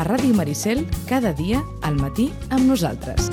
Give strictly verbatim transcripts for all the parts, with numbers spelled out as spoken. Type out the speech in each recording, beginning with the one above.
Ràdio Maricel, cada dia al matí amb nosaltres.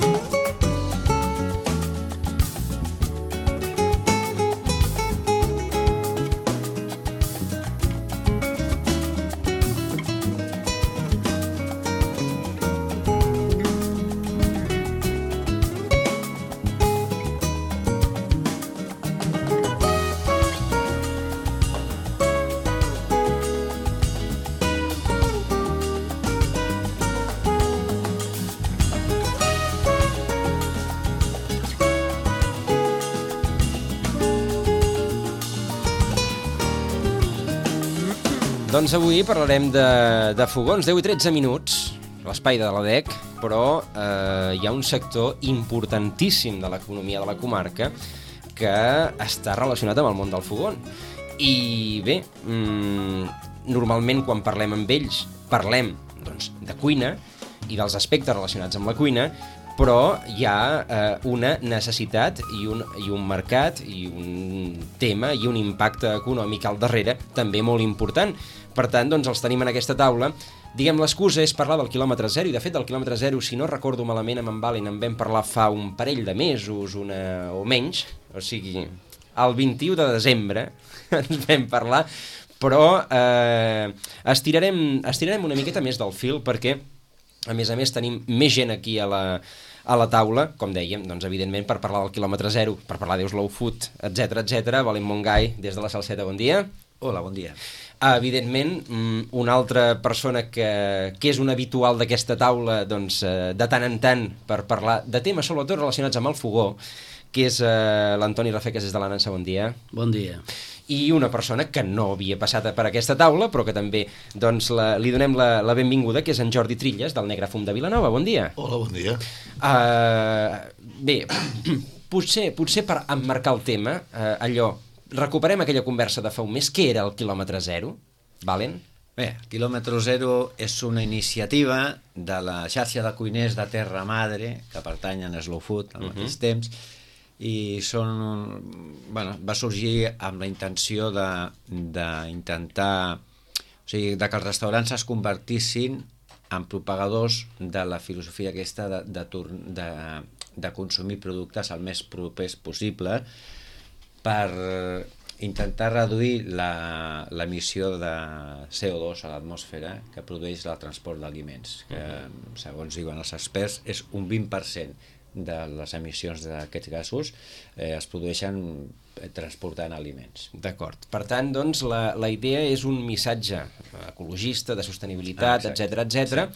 Doncs avui parlarem de, de fogons, deu i tretze minuts, l'espai de la D E C, però eh, hi ha un sector importantíssim de l'economia de la comarca que està relacionat amb el món del fogón. I bé, mmm, normalment quan parlem amb ells parlem doncs, de cuina i dels aspectes relacionats amb la cuina, però hi ha eh, una necessitat i un, i un mercat i un tema i un impacte econòmic al darrere també molt important. Per tant, doncs, els tenim en aquesta taula. Diguem, l'excusa és parlar del quilòmetre zero, i de fet del quilòmetre zero, si no recordo malament, amb en Valen en vam parlar fa un parell de mesos una, o menys, o sigui, el vint-i-u de desembre ens vam parlar, però eh, estirarem, estirarem una miqueta més del fil perquè, a més a més, tenim més gent aquí a la, a la taula, com dèiem, doncs, evidentment, per parlar del quilòmetre zero, per parlar d'Euslow Food, etcètera, etcètera. Valen Montgai, des de la Salseta, bon dia. Hola, bon dia. Evidentment, una altra persona que, que és un habitual d'aquesta taula, doncs, de tant en tant, per parlar de temes sobretot relacionats amb el fogó, que és eh, l'Antoni Rafeques des de la Nansa, bon dia. Bon dia. I una persona que no havia passat per aquesta taula, però que també doncs, la, li donem la, la benvinguda, que és en Jordi Trilles, del Negre Fum de Vilanova. Bon dia. Hola, bon dia. Uh, bé, potser, potser per emmarcar el tema, uh, allò, recuperem aquella conversa de fa un mes. Què era el quilòmetre zero, Valen? Bé, el quilòmetre zero és una iniciativa de la xarxa de cuiners de Terra Madre, que pertanyen a Slow Food al mateix uh-huh. temps, i són, bueno, va sorgir amb la intenció d'intentar, o sigui, de que els restaurants es convertissin en propagadors de la filosofia aquesta de, de, de, de consumir productes el més propers possible, per intentar reduir l'emissió de C O dos a l'atmosfera que produeix el transport d'aliments, que, segons diuen els experts, és un vint per cent de les emissions d'aquests gasos eh, es produeixen transportant aliments. D'acord. Per tant, doncs, la, la idea és un missatge ecologista, de sostenibilitat, etcètera, etcètera,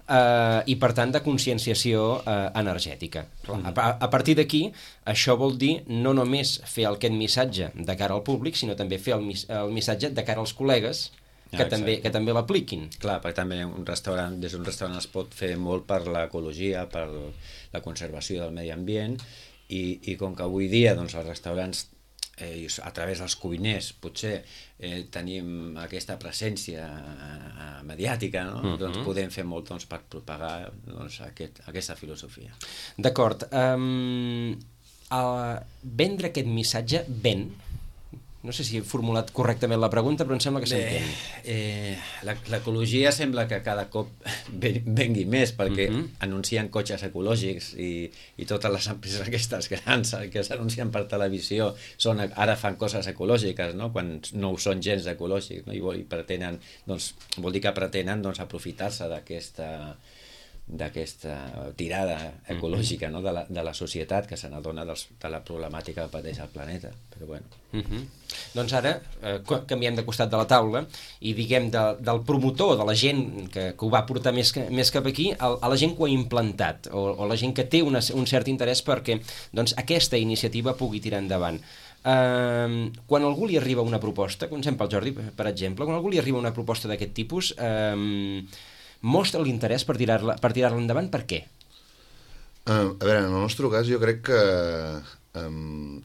Uh, i per tant de conscienciació uh, energètica. Clar, a, a partir d'aquí, això vol dir no només fer aquest missatge de cara al públic, sinó també fer el, mis el missatge de cara als col·legues que, ah, també, que també l'apliquin. Clar, perquè també un restaurant, des d'un restaurant es pot fer molt per l'ecologia, per la conservació del medi ambient, i, i com que avui dia doncs, els restaurants eh, a través dels cuiners potser eh, tenim aquesta presència eh, mediàtica, no? Uh-huh. Doncs podem fer molt doncs, per propagar doncs, aquest, aquesta filosofia. D'acord. Um, vendre aquest missatge ven? No sé si he formulat correctament la pregunta, però em sembla que s'entén. Eh, L'ecologia sembla que cada cop vengui més, perquè uh-huh. anuncien cotxes ecològics i, i totes les empreses aquestes grans que s'anuncien per televisió són, ara fan coses ecològiques, no? Quan no ho són gens ecològics, no? I, vol, i pretenen, doncs, vol dir que pretenen doncs, aprofitar-se d'aquesta d'aquesta tirada ecològica, no? de, la, de la societat que se n'adona de la problemàtica que pateix el planeta. Però bueno. Uh-huh. Doncs ara eh, canviem de costat de la taula i diguem de, del promotor, de la gent que, que ho va portar més, que, més cap aquí, a, a la gent que ho ha implantat o, o la gent que té una, un cert interès perquè doncs, aquesta iniciativa pugui tirar endavant. Uh, quan algú li arriba una proposta, comencem pel Jordi, per exemple, quan algú li arriba una proposta d'aquest tipus, uh, mostra l'interès per tirar-la per tirar-la endavant, per què? Uh, a veure, en el nostre cas jo crec que um,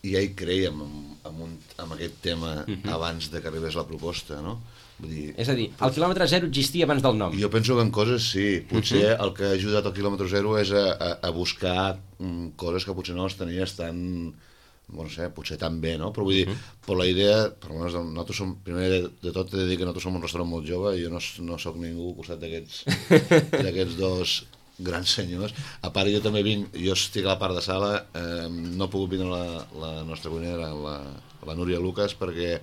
ja hi creiem en, en, un, en aquest tema uh-huh. abans de que arribés la proposta, no? Vull dir, és a dir, el quilòmetre zero existia abans del nom. Jo penso que en coses sí. Potser uh-huh. el que ha ajudat al quilòmetre zero és a, a, a buscar um, coses que potser no les tenies tan no sé, potser també, no? Però vull dir, uh-huh. per la idea, per almenys nosaltres som, primer de tot he de dir que nosaltres som un restaurant molt jove i jo no, no sóc ningú al costat d'aquests d'aquests dos grans senyors. A part, jo també vinc, jo estic a la part de sala, eh, no he pogut vindre la, la nostra cuinera, la, la Núria Lucas, perquè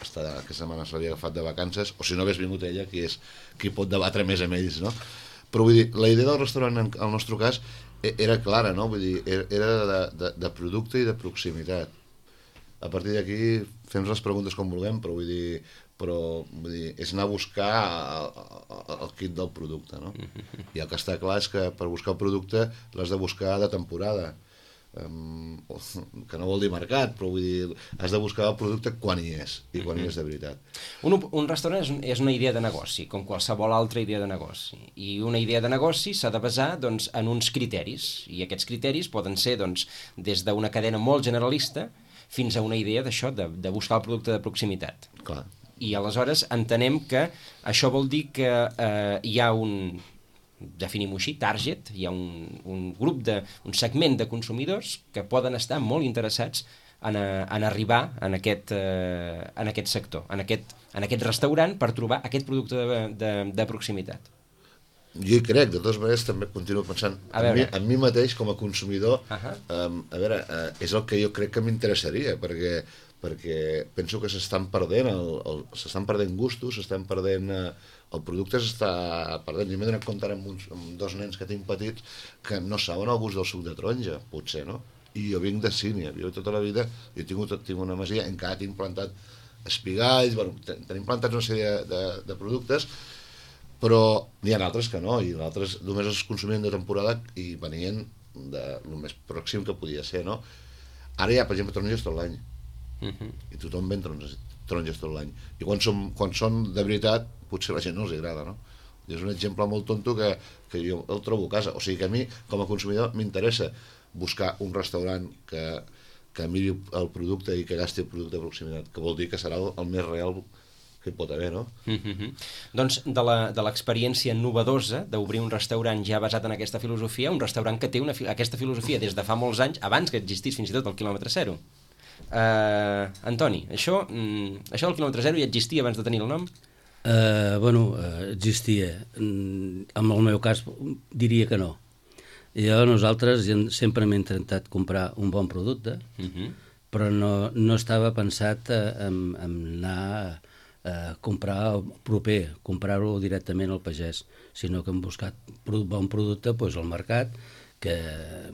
està, aquesta setmana se l'havia agafat de vacances, o si no hagués vingut ella, qui és qui pot debatre més amb ells, no? Però vull dir, la idea del restaurant, en el nostre cas, era clara, no? Vull dir, era de, de, de producte i de proximitat. A partir d'aquí fem les preguntes com vulguem, però vull dir, però vull dir, és anar a buscar el, el, el kit del producte, no? I el que està clar és que per buscar el producte l'has de buscar de temporada, um, que no vol dir mercat, però vull dir, has de buscar el producte quan hi és, i quan hi és de veritat. Un, un restaurant és, és una idea de negoci, com qualsevol altra idea de negoci. I una idea de negoci s'ha de basar doncs, en uns criteris, i aquests criteris poden ser doncs, des d'una cadena molt generalista fins a una idea d'això, de, de buscar el producte de proximitat. Clar. I aleshores entenem que això vol dir que eh, hi ha un, definim-ho així, target, hi ha un, un grup, de, un segment de consumidors que poden estar molt interessats en, a, en arribar en aquest, eh, en aquest sector, en aquest, en aquest restaurant per trobar aquest producte de, de, de proximitat. Jo hi crec, de totes maneres també continuo pensant en mi, en mi mateix com a consumidor, uh-huh. um, a veure, uh, és el que jo crec que m'interessaria, perquè, perquè penso que s'estan perdent, el, el, s'estan perdent gustos, s'estan perdent, uh, el producte s'està perdent. Jo m'he donat compte amb, uns, amb dos nens que tinc petits que no saben el gust del suc de taronja, potser, no? I jo vinc de Sínia, jo tota la vida, jo he tingut, tinc una masia, encara tinc plantat espigalls, bueno, tenim plantats una sèrie de, de, de productes, però n'hi ha altres que no, i altres només els consumien de temporada i venien de lo més pròxim que podia ser, no? Ara hi ha, per exemple, taronges tot l'any, uh-huh. i tothom ven taronges, taronges tot l'any, i quan, som, quan són de veritat, potser a la gent no els agrada, no? I és un exemple molt tonto que, que jo el trobo a casa, o sigui que a mi, com a consumidor, m'interessa buscar un restaurant que, que miri el producte i que gasti el producte de proximitat, que vol dir que serà el, el més real que hi pot haver, no? Mm-hmm. Doncs de la, de l'experiència novedosa d'obrir un restaurant ja basat en aquesta filosofia, un restaurant que té una, aquesta filosofia des de fa molts anys, abans que existís fins i tot el quilòmetre zero. Uh, Antoni, això, mm, això del quilòmetre zero ja existia abans de tenir el nom? Uh, bueno, uh, existia. Mm, en el meu cas diria que no. Jo, nosaltres sempre hem intentat comprar un bon producte, uh-huh. però no, no estava pensat en, en anar a comprar proper, comprar-ho directament al pagès, sinó que hem buscat bon producte doncs, al mercat, que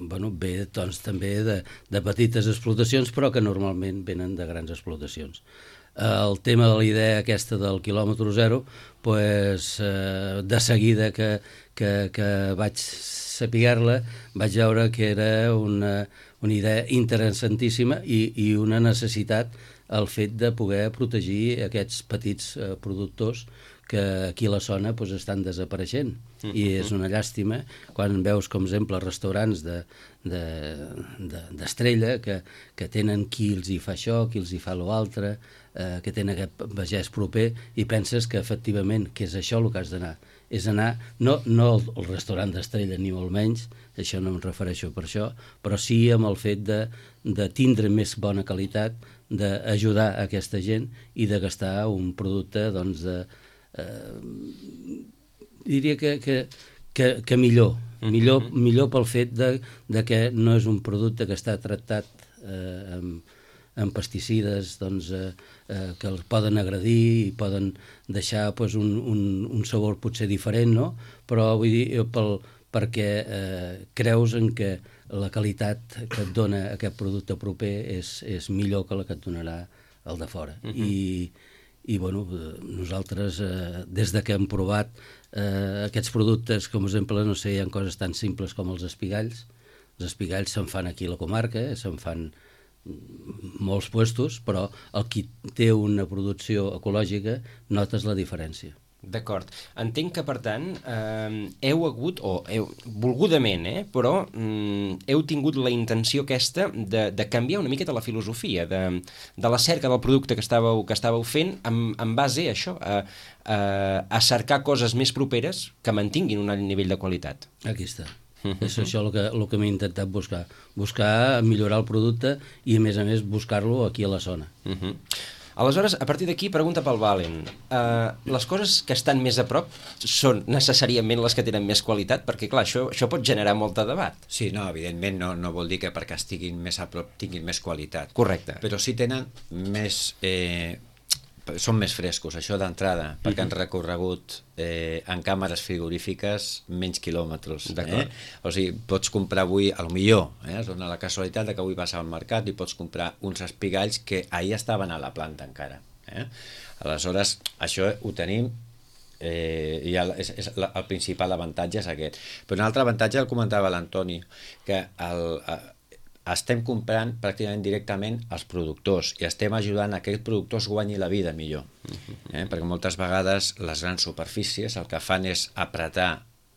bueno, ve doncs, també de, de petites explotacions, però que normalment venen de grans explotacions. El tema de la idea aquesta del quilòmetre zero, pues, eh, de seguida que, que, que vaig saber-la, vaig veure que era una, una idea interessantíssima i, i una necessitat el fet de poder protegir aquests petits eh, productors que aquí a la zona pues, estan desapareixent. Mm-hmm. I és una llàstima quan veus, com exemple, restaurants de, de, de, d'estrella que, que tenen qui els hi fa això, qui els hi fa l'altre, eh, que tenen aquest pagès proper, i penses que efectivament que és això el que has d'anar. És anar, no, no al restaurant d'estrella ni molt menys, això no em refereixo per això, però sí amb el fet de, de tindre més bona qualitat, d'ajudar a aquesta gent i de gastar un producte, doncs, de, eh, diria que, que, que, que millor, millor, millor pel fet de, de que no és un producte que està tractat eh, amb, amb pesticides doncs, eh, eh, que els poden agredir i poden deixar pues, un, un, un sabor potser diferent, no? Però vull dir, pel, perquè eh, creus en que la qualitat que et dona aquest producte proper és, és millor que la que et donarà el de fora. Uh-huh. I, i bueno, nosaltres, eh, des de que hem provat eh, aquests productes, com per exemple, no sé, hi ha coses tan simples com els espigalls. Els espigalls se'n fan aquí a la comarca, eh, se'n fan molts puestos, però el qui té una producció ecològica notes la diferència. D'acord. Entenc que, per tant, eh, heu hagut, o heu, volgudament, eh, però mm, heu tingut la intenció aquesta de, de canviar una miqueta la filosofia, de, de la cerca del producte que estàveu, que estàveu fent en, en base a això, a, a, a cercar coses més properes que mantinguin un alt nivell de qualitat. Aquí està. Uh-huh. És això el que, el que m'he intentat buscar. Buscar millorar el producte i, a més a més, buscar-lo aquí a la zona. Uh-huh. Aleshores, a partir d'aquí, pregunta pel Valen. Uh, les coses que estan més a prop són necessàriament les que tenen més qualitat? Perquè, clar, això, això pot generar molt de debat. Sí, no, evidentment no, no vol dir que perquè estiguin més a prop tinguin més qualitat. Correcte. Però sí tenen més... Eh, són més frescos, això d'entrada, perquè uh-huh. han recorregut eh, en càmeres frigorífiques menys quilòmetres. Eh? O sigui, pots comprar avui, a lo millor, eh, es dona la casualitat de que avui vas al mercat i pots comprar uns espigalls que ahir estaven a la planta encara. Eh? Aleshores, això ho tenim, eh, i el, és, és la, el principal avantatge és aquest. Però un altre avantatge el comentava l'Antoni, que el... Eh, estem comprant pràcticament directament als productors i estem ajudant a que aquests productors guanyi la vida millor. Eh? Perquè moltes vegades les grans superfícies el que fan és apretar,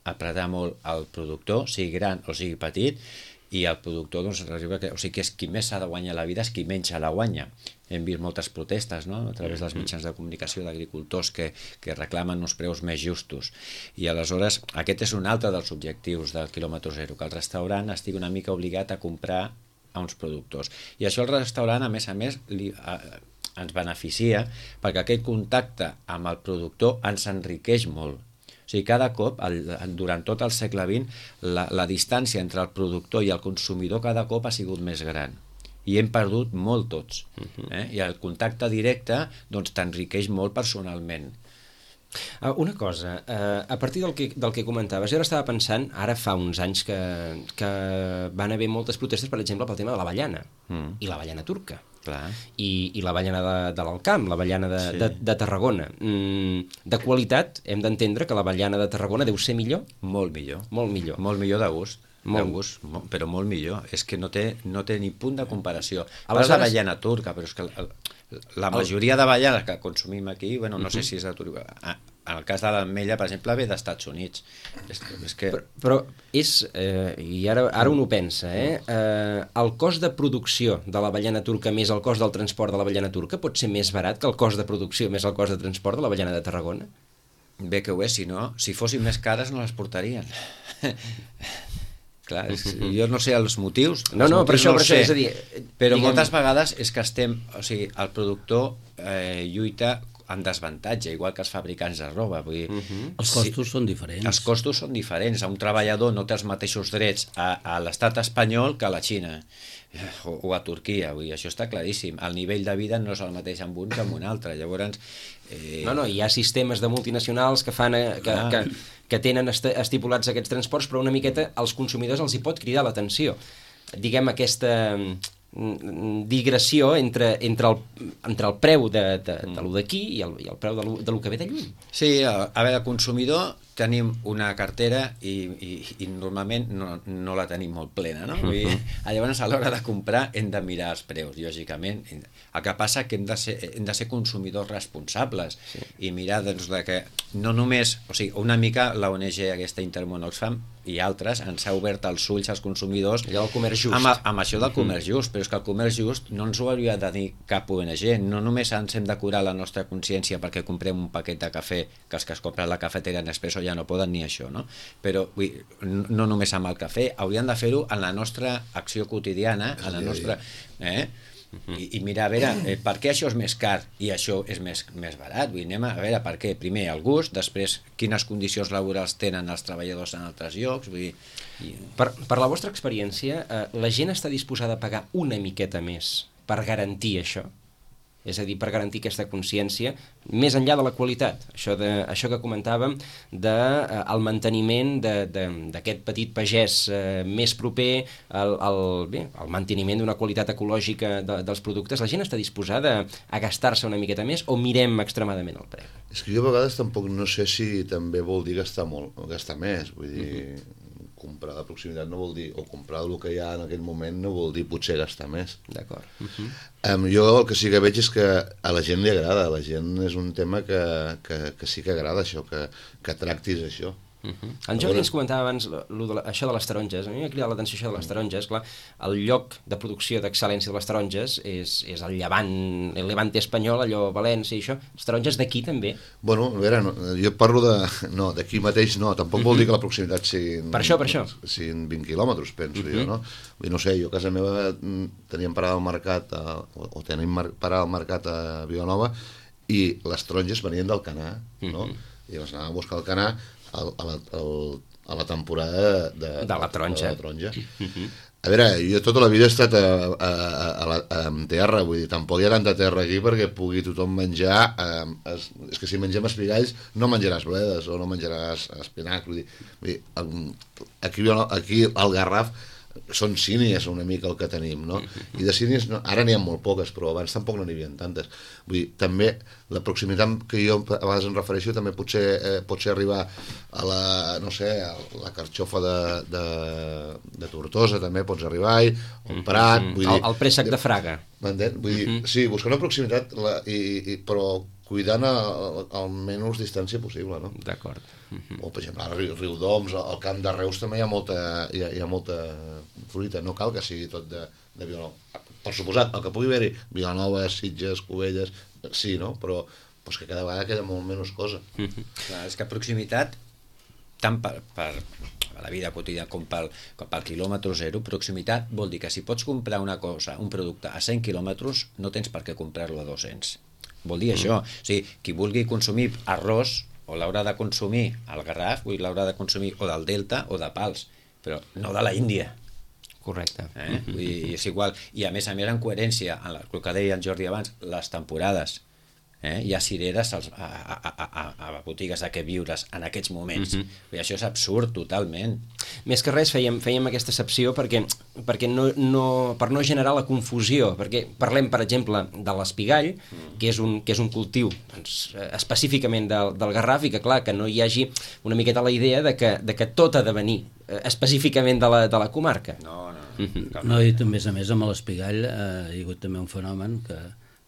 apretar molt el productor, sigui gran o sigui petit, i el productor, doncs, que, o sigui que és qui més s'ha de guanyar la vida és qui menys se la guanya. Hem vist moltes protestes, no?, a través dels mitjans de comunicació d'agricultors que, que reclamen uns preus més justos. I aleshores aquest és un altre dels objectius del quilòmetre zero, que el restaurant estigui una mica obligat a comprar a uns productors. I això el restaurant, a més a més, li, a, ens beneficia perquè aquest contacte amb el productor ens enriqueix molt. O sigui, cada cop, el, durant tot el segle vint, la, la distància entre el productor i el consumidor cada cop ha sigut més gran. I hem perdut molt tots. Eh? I el contacte directe doncs, t'enriqueix molt personalment. Uh, una cosa, uh, a partir del que, del que comentaves, jo ara estava pensant, ara fa uns anys que, que van haver moltes protestes, per exemple, pel tema de l'avellana, mm. i l'avellana turca. Clar. I, i l'avellana de, de l'Alcamp, l'avellana de, sí. de, de Tarragona. Mm, de qualitat, hem d'entendre que l'avellana de Tarragona deu ser millor? Molt millor. Molt millor. Molt millor de gust. Molt. De gust, però molt millor. És que no té, no té ni punt de comparació. Aleshores... Parles d'avellana turca, però és que el, la majoria d'avellanes que consumim aquí, bueno, no uh-huh. sé si és de Turquia. En el cas de l'ametlla, per exemple, ve dels Estats Units. És, és que... Però, però és, eh, i ara, ara un ho pensa, eh? eh, el cost de producció de l'avellana turca més el cost del transport de l'avellana turca pot ser més barat que el cost de producció més el cost de transport de l'avellana de Tarragona? Bé que ho és, si no, si fossin més cares no les portarien. Clar, és, jo no sé els motius. No, no, per això, no per això, és a dir... Però diguem... moltes vegades és que estem... O sigui, el productor eh, lluita en desavantatge, igual que els fabricants de roba. Vull dir, uh-huh. Els costos sí, són diferents. Els costos són diferents. Un treballador no té els mateixos drets a, a l'estat espanyol que a la Xina o, o a Turquia. Vull dir, això està claríssim. El nivell de vida no és el mateix amb un que amb un altre. Llavors... Eh... No, no, hi ha sistemes de multinacionals que fan... Eh, que, ah. que, que tenen estipulats aquests transports, però una miqueta als consumidors els hi pot cridar l'atenció. Diguem, aquesta digressió entre, entre, el, entre el preu de, de, de lo d'aquí i el, i el preu de lo, de lo que ve de lluny. Sí, a, a veure, el consumidor tenim una cartera i, i, i normalment no, no la tenim molt plena, no? Vull dir, llavors a l'hora de comprar hem de mirar els preus, lògicament. El que passa que hem de ser, hem de ser consumidors responsables sí. i mirar doncs, de que no només, o sigui, una mica la O N G aquesta Intermón Oxfam i altres ens ha obert els ulls als consumidors allò del comerç just. Amb, amb això del comerç just, però és que el comerç just no ens ho hauria de dir cap O N G, no només ens hem de curar la nostra consciència perquè comprem un paquet de cafè, que els que es compren la cafetera Nespresso ja no poden ni això, no? Però vull, no només amb el cafè, haurien de fer-ho en la nostra acció quotidiana, en la nostra... Eh? I, i mirar, a veure, eh, per què això és més car i això és més, més barat? Vull dir, anem a, a veure per què. Primer, el gust, després, quines condicions laborals tenen els treballadors en altres llocs. Vull dir, i... per, per la vostra experiència, eh, la gent està disposada a pagar una miqueta més per garantir això? És a dir, per garantir aquesta consciència, més enllà de la qualitat. Això, de, això que comentàvem del de, eh, manteniment d'aquest petit pagès eh, més proper, el, el, bé, el manteniment d'una qualitat ecològica de, dels productes. La gent està disposada a gastar-se una miqueta més o mirem extremadament el preu? És que jo a vegades tampoc no sé si també vol dir gastar molt, o gastar més, vull dir... Uh-huh. Comprar de proximitat no vol dir, o comprar el que hi ha en aquell moment no vol dir potser gastar més. D'acord. Uh-huh. um, jo el que sí que veig és que a la gent li agrada, a la gent és un tema que, que, que sí que agrada això, que, que tractis això. Uh-huh. En Jordi ens comentava abans lo, lo de la, això de les taronges. A mi m'ha cridat l'atenció això de les taronges. Clar, el lloc de producció d'excel·lència de les taronges és, és el llevant, el levante espanyol, allò València i això. Les taronges d'aquí també. Bueno, a veure, no, jo parlo de... No, d'aquí mateix no, tampoc uh-huh. vol dir que la proximitat siguin... Per això, per això. Siguin vint quilòmetres, penso uh-huh. jo, no? I no sé, jo a casa meva teníem parada al mercat, a, o, o tenim mar, parada al mercat a Vilanova, i les taronges venien del Canà, no? Uh-huh. I les anàvem a buscar al Canà a, a, la, a la temporada de, de la taronja. De la taronja. Uh-huh. A veure, jo tota la vida he estat a, a, a, a, la, a terra, vull dir, tampoc hi ha tanta terra aquí perquè pugui tothom menjar... Eh, es, és que si mengem espigalls no menjaràs bledes o no menjaràs espinac, vull dir, vull dir aquí, aquí al Garraf són sínies una mica el que tenim, no? I de sínies no, ara n'hi ha molt poques, però abans tampoc no n'hi havia tantes. Vull dir, també la proximitat que jo a vegades em refereixo també potser, eh, pot ser arribar a la, no sé, a la carxofa de, de, de Tortosa també pots arribar-hi, o un Prat... Vull dir, el, el préssec de Fraga. M'entén? Vull dir, uh-huh. sí, buscar una proximitat, la, i, i, però cuidant el, el menys distància possible, no? D'acord. Uh-huh. O, per exemple, a Riu, Riudoms, al Camp de Reus també hi ha molta, hi ha, hi ha molta fruita, no cal que sigui tot de, de Vilanova. Per suposat, el que pugui haver-hi, Vilanova, Sitges, Cubelles, sí, no? Però pues, que cada vegada queda molt menys cosa. Uh-huh. Clar, és que proximitat, tant per, per la vida quotidiana com pel, com pel quilòmetre zero, proximitat vol dir que si pots comprar una cosa, un producte a cent quilòmetres, no tens per què comprar-lo a dos-cents. Vol dir uh-huh. això. O sigui, qui vulgui consumir arròs, o l'haurà de consumir al Garraf, o l'haurà de consumir o del Delta o de Pals, però no de la Índia. Correcte. Eh? Vull dir, és igual. I a més a més, en coherència, en el que deia en Jordi abans, les temporades. Eh? Hi ha cireres als, a, a, a, a botigues a què viures en aquests moments. Uh-huh. I això és absurd totalment. Més que res fèiem, fèiem aquesta excepció perquè, perquè no, no, per no generar la confusió, perquè parlem, per exemple, de l'espigall, uh-huh. que, és un, que és un cultiu doncs, específicament del, del Garraf, i que clar, que no hi hagi una miqueta la idea de que, de que tot ha de venir específicament de la, de la comarca. No, no. Uh-huh. No, i a més a més amb l'espigall eh, hi ha hagut també un fenomen que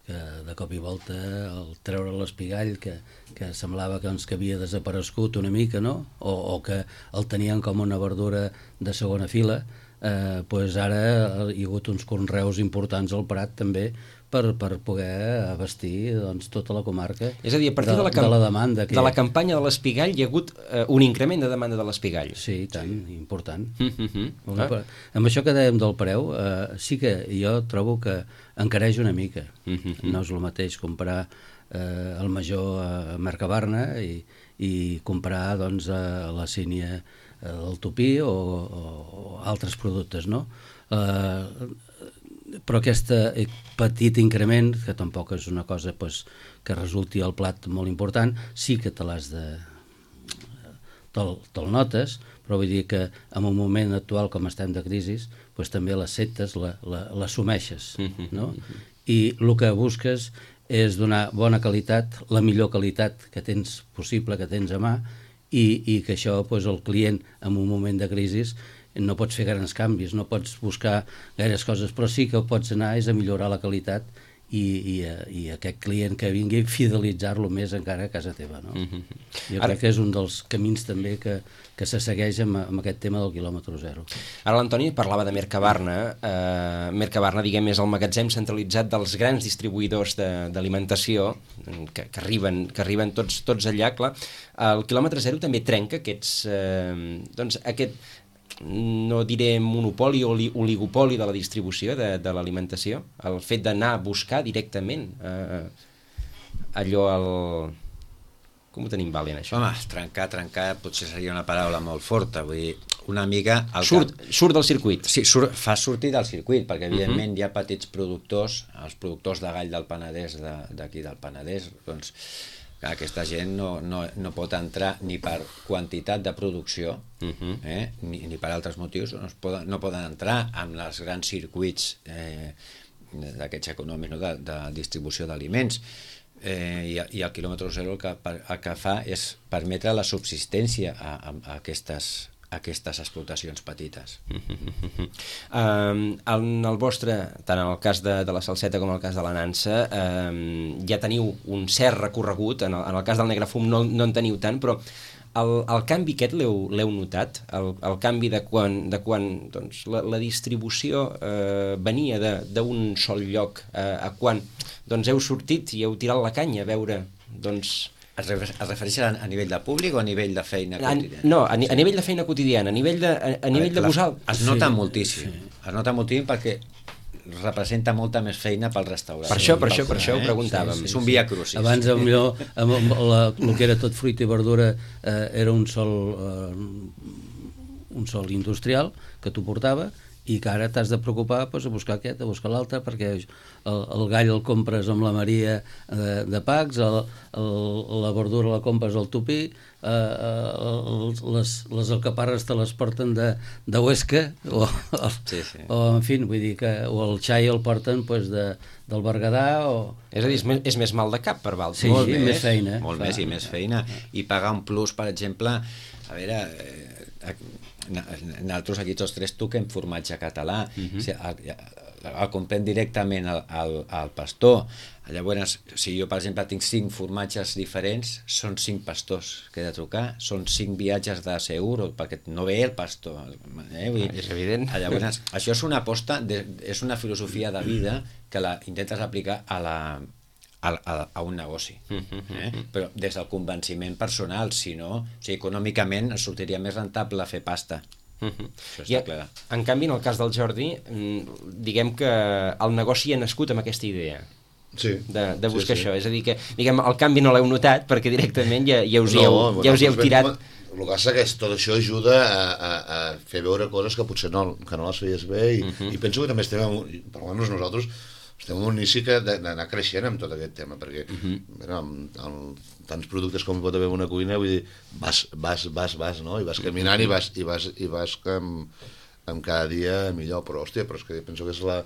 que de cop i volta el treure l'espigall que, que semblava que, doncs, que havia desaparegut una mica, no? O, o que el tenien com una verdura de segona fila, eh, pues ara hi ha hagut uns conreus importants al Prat també per, per poder abastir doncs, tota la comarca. És a dir, a partir de, de, la, de la demanda. Que de la campanya de l'espigall hi ha hagut eh, un increment de demanda de l'espigall. Sí, tant, sí. important. Mm-hmm. Ah. Amb això que dèiem del preu, eh, sí que jo trobo que encareix una mica. Mm-hmm. No és el mateix comprar eh, el major a Mercabarna i, i comprar doncs, a la sínia del Tupí o, o, o altres productes, no? Eh, però aquest petit increment, que tampoc és una cosa pues, que resulti al plat molt important, sí que te l'has de... te'l te notes, però vull dir que en un moment actual com estem de crisi, pues, també l'acceptes, l'assumeixes, no? I el que busques és donar bona qualitat, la millor qualitat que tens possible, que tens a mà, i, i que això pues, el client en un moment de crisi no pots fer grans canvis, no pots buscar gaires coses, però sí que pots anar és a millorar la qualitat i, i, i aquest client que vingui fidelitzar-lo més encara a casa teva, no? Mm-hmm. Jo Ara... crec que és un dels camins també que, que se segueix amb, amb aquest tema del quilòmetre zero. Ara l'Antoni parlava de Mercabarna. Eh, Mercabarna, diguem, és el magatzem centralitzat dels grans distribuïdors d'alimentació que, que arriben, que arriben tots, tots allà, clar. El quilòmetre zero també trenca aquests... Eh, doncs aquest... no diré monopoli o oligopoli de la distribució de, de l'alimentació, el fet d'anar a buscar directament eh, allò al... Com ho tenim, Valent, això? Home, trencar, trencar potser seria una paraula molt forta, vull dir, una mica... Surt, cap... surt del circuit. Sí, surt, fa sortir del circuit, perquè evidentment uh-huh. hi ha petits productors, els productors de gall del Penedès, d'aquí de, del Penedès, doncs aquesta gent no, no, no pot entrar ni per quantitat de producció uh-huh. eh, ni, ni per altres motius no, es poden, no poden entrar en els grans circuits eh, d'aquests econòmics, no, de, de distribució d'aliments eh, i, i el quilòmetre zero el que, el que fa és permetre la subsistència a, a, a aquestes aquestes explotacions petites. Uh, en el vostre, tant en el cas de, de la salseta com en el cas de la nansa, uh, ja teniu un cert recorregut, en el, en el cas del Negrefum no, no en teniu tant, però el, el canvi aquest l'heu notat? El, el canvi de quan, de quan doncs, la, la distribució eh, venia d'un sol lloc eh, a quan doncs, heu sortit i heu tirat la canya a veure... Doncs, Es refereix a, a nivell de públic o a nivell de feina quotidiana? No, a, ni, a nivell de feina quotidiana, a nivell de, a, a nivell de vosaltres. Es nota sí, moltíssim, sí. es nota moltíssim perquè representa molta més feina pel restaurant. Per això, per això, per això ho preguntàvem. Sí, sí, és un via crucis. Abans, millor, amb la, el que era tot fruita i verdura eh, era un sol, eh, un sol industrial que t'ho portava, i que ara t'has de preocupar pues, a buscar aquest, a buscar l'altre, perquè el, el gall el compres amb la Maria de, de Pacs, el, el, la verdura la compres al Tupí, eh, el, les, les alcaparres te les porten de, de Huesca, o, o, sí, sí. o en fi, vull dir que o el xai el porten pues, de, del Berguedà, o... És a dir, és més, és més mal de cap per Valls. Sí, molt sí, més, més feina. Molt fa. més i més feina. I pagar un plus, per exemple, a veure... Eh, nosaltres aquí tots tres toquem formatge català, uh-huh. el, el, el comprem directament al, al, al pastor. Llavors, si jo per exemple tinc cinc formatges diferents, són cinc pastors que he de trucar, són cinc viatges de Segur, perquè no ve el pastor, eh? Vull dir, és evident. Llavors, això és una aposta, de, és una filosofia de vida que la intentes aplicar a la A, a, a un negoci, eh? Però des del convenciment personal, si no, o sigui, econòmicament sortiria més rentable fer pasta. Uh-huh. I a, en canvi, en el cas del Jordi, diguem que el negoci ha nascut amb aquesta idea. Sí, de, de buscar sí, sí. això, és a dir que diguem, el canvi no l'heu notat perquè directament ja, ja us hi heu, no, ja us hi heu tirat. El que passa és que tot això ajuda a, a, a fer veure coses que potser no, que no les feies bé i, uh-huh. i penso que també estem, per almenys nosaltres estem en un inici que d'anar creixent amb tot aquest tema, perquè uh-huh. bueno, amb, amb tants productes com pot haver una cuina, vull dir, vas, vas, vas, vas, no? I vas caminant uh-huh. i vas, i vas, i vas amb, amb cada dia millor, però hòstia, però és que penso que és la...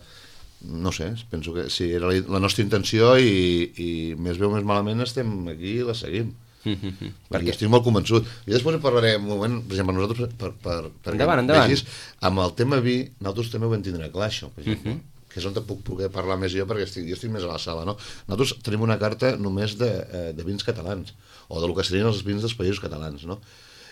no sé, penso que sí, era la, la nostra intenció i, i més bé o més malament estem aquí i la seguim. Uh-huh. Perquè estic molt convençut. I després en parlaré un moment, per exemple, nosaltres, per, per, per endavant, endavant. Vegis, amb el tema vi, nosaltres també ho vam tindre clar, això, per exemple. Uh-huh. Que és on te puc poder parlar més jo perquè estic, jo estic més a la sala, no? Nosaltres tenim una carta només de, de vins catalans, o del que serien els vins dels països catalans, no?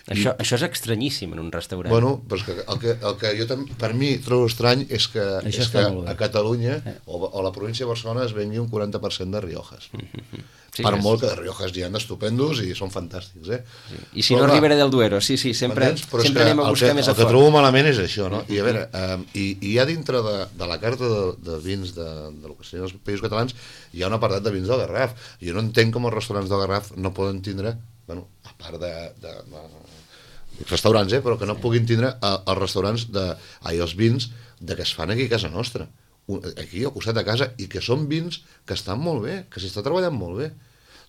Això, I, això és estranyíssim en un restaurant. Bueno, però és que el que, el que jo tam, per mi trobo estrany és que, és que a Catalunya o, o la província de Barcelona es vengui un quaranta per cent de Riojas. Mm-hmm. Sí, per és... molt que de Riojas hi ha d'estupendos i són fantàstics, eh? Sí. I si però, no, Ribera del Duero, sí, sí, sempre, sempre anem a buscar que, més a fort. fort. El que trobo malament és això, no? I a veure, um, i, i hi ha dintre de, de la carta de, de vins de, de lo que serien els països catalans, hi ha un apartat de vins del Garraf. Jo no entenc com els restaurants del Garraf no poden tindre, bueno, a part de... de, de restaurants, eh, però que no puguin tindre els restaurants de, ai, els vins de que es fan aquí a casa nostra, aquí al costat de casa, i que són vins que estan molt bé, que s'està treballant molt bé.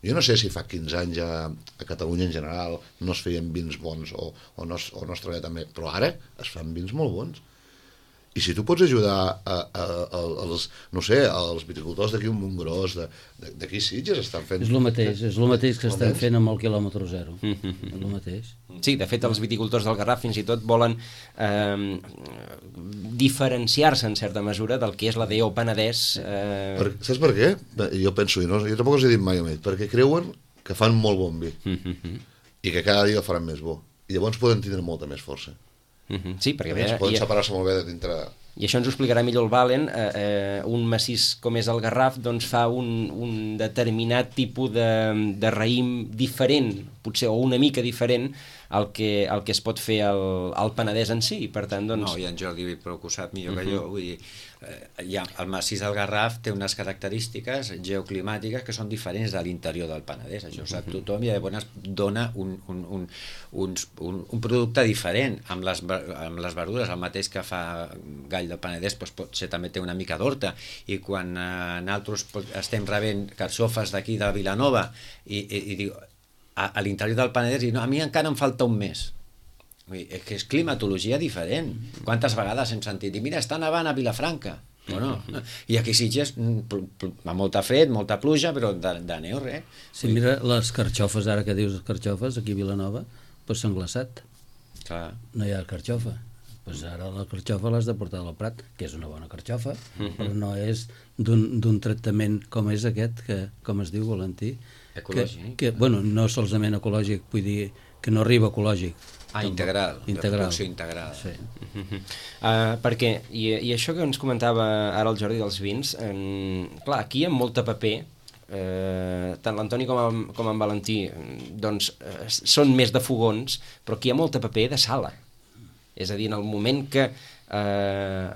Jo no sé si fa quinze anys a, a Catalunya en general no es feien vins bons o, o, no, es, o no es treballa tan bé, però ara es fan vins molt bons. I si tu pots ajudar a, a, a, als, no sé, als viticultors d'aquí un Montgròs, d'aquí Sitges estan fent... És el mateix, és el mateix que estan fent amb el quilòmetre zero. Mm-hmm. És el mateix. Sí, de fet, els viticultors del Garraf fins i tot volen eh, diferenciar-se en certa mesura del que és la D O Penedès. Eh... Per, saps per què? Jo penso, i no, jo tampoc els he dit mai a ells, perquè creuen que fan molt bon vi mm-hmm. i que cada dia el faran més bo. I llavors poden tindre molta més força. Uh-huh. Sí, perquè es poden separar-se molt bé de dintre... I això ens ho explicarà millor el Valen. Eh, eh, un massís com és el Garraf doncs fa un, un determinat tipus de, de raïm diferent, potser, o una mica diferent al que, al que es pot fer al, al Penedès en si. Per tant, doncs... No, i en Jordi però que ho sap millor uh-huh. que jo. Vull dir, eh, ja, el massís del Garraf té unes característiques geoclimàtiques que són diferents de l'interior del Penedès. Això ho sap uh-huh. tothom, i llavors dona un, un, un, un, un, un producte diferent. Amb les, amb les verdures, el mateix que fa Gall del Penedès, doncs potser també té una mica d'horta. I quan eh, nosaltres estem rebent carxofes d'aquí de Vilanova i, i, i diu... a, a l'interior del Penedès i no, a mi encara em falta un mes. Vull dir, és que és climatologia diferent. Quantes vegades hem sentit, i mira, està nevant a Vilafranca. Bueno, i aquí Sitges, amb molta fred, molta pluja, però de, de neu, res. Sí, mira, les carxofes, ara que dius les carxofes, aquí a Vilanova, doncs s'han glaçat. Clar. No hi ha carxofa. Pues ara la carxofa l'has de portar al Prat, que és una bona carxofa, uh-huh. però no és d'un tractament com és aquest, que, com es diu, Valentí, ecològic. Que, que, bueno, no solament ecològic, vull dir que no arriba ecològic. Ah, integral, integral. de producció integral. Sí. Uh-huh. uh, perquè, i, i això que ens comentava ara el Jordi dels vins, eh, clar, aquí hi ha molta paper, eh, tant l'Antoni com, en, com en Valentí doncs, eh, són més de fogons, però aquí hi ha molta paper de sala. És a dir, en el moment que eh,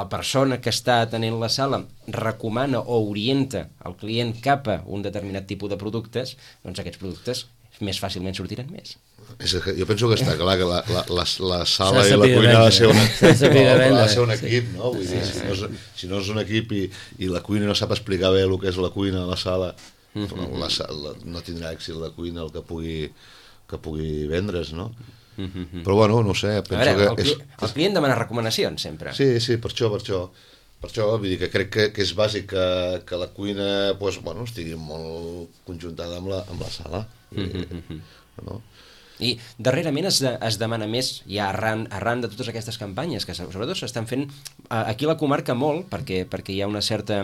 la persona que està atenent la sala recomana o orienta el client cap a un determinat tipus de productes, doncs aquests productes més fàcilment sortiran més. És que jo penso que està clar que la, la, la, la sala i la cuina ha de ser, una, no, ha de ser un equip, no? Vull dir, si no és, si no és un equip i, i la cuina no sap explicar bé el que és la cuina a la sala, mm-hmm. la, la, no tindrà èxit la cuina el que pugui, que pugui vendre's, no? Mm-hmm. Però bueno, no sé, penso a veure, que... El, és, el client demana recomanacions, sempre. Sí, sí, per això, per això. Per això, vull dir que crec que, que és bàsic que, que la cuina pues, bueno, estigui molt conjuntada amb la, amb la sala. Mm-hmm. No? I darrerament es, de, es demana més, ja arran, arran de totes aquestes campanyes, que sobretot s'estan fent aquí a la comarca molt, perquè, perquè hi ha una certa,